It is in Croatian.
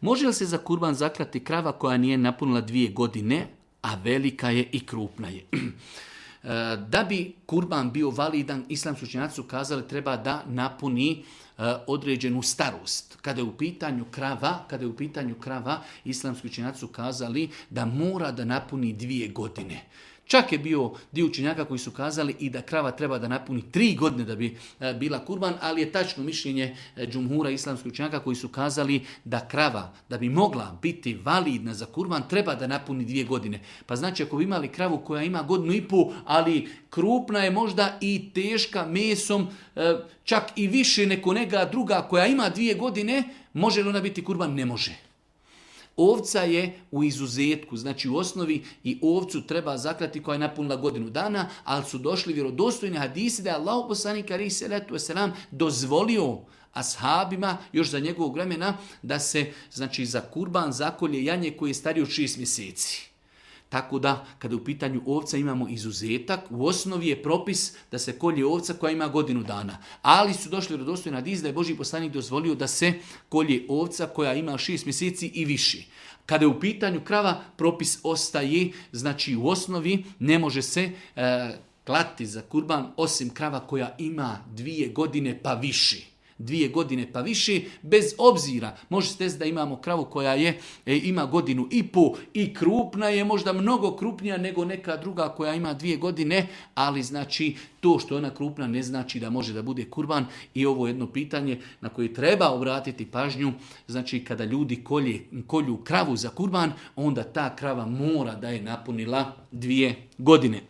Može li se za kurban zaklati krava koja nije napunila 2 godine, a velika je i krupna je? Da bi kurban bio validan, islamski učenjaci su kazali treba da napuni određenu starost. Kada je u pitanju krava, islamski učenjaci su kazali da mora da napuni 2 godine. Čak je bio dio učenjaka koji su kazali i da krava treba da napuni 3 godine da bi bila kurban, ali je tačno mišljenje džumhura islamskih učenjaka koji su kazali da krava, da bi mogla biti validna za kurban, treba da napuni 2 godine. Pa znači ako bi imali kravu koja ima 1,5 godinu, ali krupna je možda i teška mesom, čak i više neko neka druga koja ima 2 godine, može li ona biti kurban? Ne može. Ovca je u izuzetku, znači u osnovi i ovcu treba zaklati koja je napunila 1 godinu dana, ali su došli vjerodostojni hadisi da je Allahu poslanik alejhi selatu vesselam dozvolio ashabima još za njegovog vremena da se znači za kurban zakolje janje koje je starije od 6 mjeseci. Tako da, kada u pitanju ovca imamo izuzetak, u osnovi je propis da se kolje ovca koja ima 1 godinu dana. Ali su došli vjerodostojni hadisi da je Božji poslanik dozvolio da se kolje ovca koja ima 6 mjeseci i više. Kada je u pitanju krava, propis ostaje, znači u osnovi ne može se klati za kurban osim krava koja ima 2 godine pa više. 2 godine pa više, bez obzira. Može se desiti da imamo kravu koja ima 1,5 godinu i krupna je, možda mnogo krupnija nego neka druga koja ima 2 godine, ali znači to što je ona krupna ne znači da može da bude kurban. I ovo je jedno pitanje na koje treba obratiti pažnju. Znači kada ljudi kolju kravu za kurban, onda ta krava mora da je napunila 2 godine.